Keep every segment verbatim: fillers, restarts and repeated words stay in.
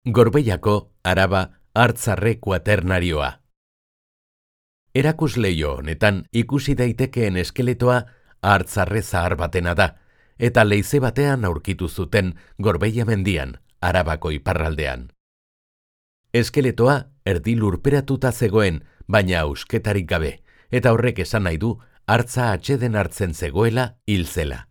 Gorbeiako Araba Hartzarre kuaternarioa. Erakusleio honetan ikusi daitekeen eskeletoa hartzarre zahar batena da, eta leize batean aurkitu zuten Gorbeia mendian, Arabako iparraldean. Eskeletoa erdi lurperatuta zegoen, baina ausketarik gabe, eta horrek esan nahi du hartza atseden hartzen zegoela hil zela.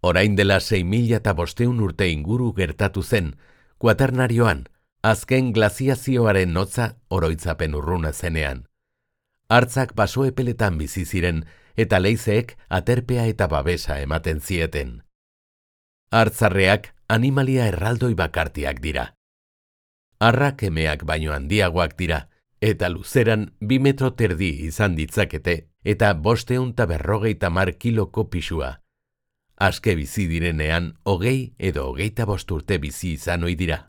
Orain dela sei mila eta bosteun urte inguru gertatu zen, kuaternarioan, azken glaziazioaren notza oroitzapen urruna zenean. Hartzak baso epeletan bizi ziren eta leizeek aterpea eta babesa ematen zieten. Hartzarreak animalia erraldoi bakartiak dira. Arrak emeak baino handiagoak dira, eta luzeran bi metro terdi izan ditzakete eta bosteun ta berrogeita mar kiloko pisua. Aske bizi direnean hogei edo hogeita bost urte bizi izan ohi dira.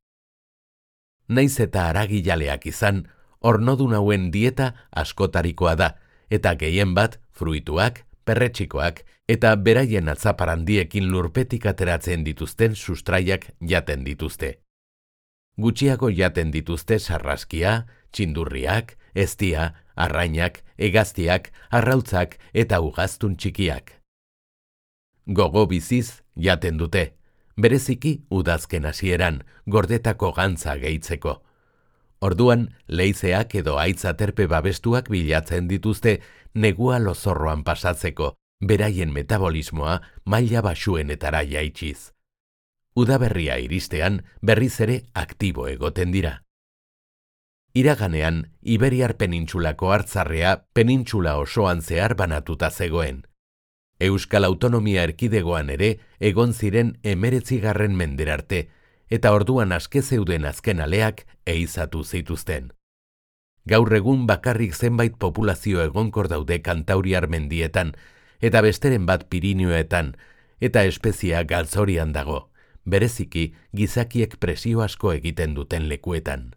Naiz eta haragijaleak izan, ornodun hauen dieta askotarikoa da, eta gehien bat fruituak, perretxikoak eta beraien atzaparandiekin lurpetik ateratzen dituzten sustraiak jaten dituzte. Gutxiago jaten dituzte sarraskia, txindurriak, eztia, arrainak, hegaztiak, arrautzak eta ugaztun txikiak. Gogo biziz jaten dute, bereziki udazken hasieran, gordetako gantza gehitzeko. Orduan, leizeak edo haitz aterpe babestuak bilatzen dituzte negua lozorroan pasatzeko, beraien metabolismoa maila baxuenetara jaitsiz. Udaberria iristean berriz ere aktibo egoten dira. Iraganean, Iberiar penintsulako hartzarrea penintsula osoan zehar banatuta zegoen. Euskal Autonomia Erkidegoan ere egon ziren hemeretzigarren menderarte, eta orduan aske zeuden azken aleak ehizatu zituzten. Gaur egun bakarrik zenbait populazio egonkor daude Kantauriar mendietan, eta besteren bat Pirinioetan, eta espezia galtzorian dago, bereziki gizakiek presio asko egiten duten lekuetan.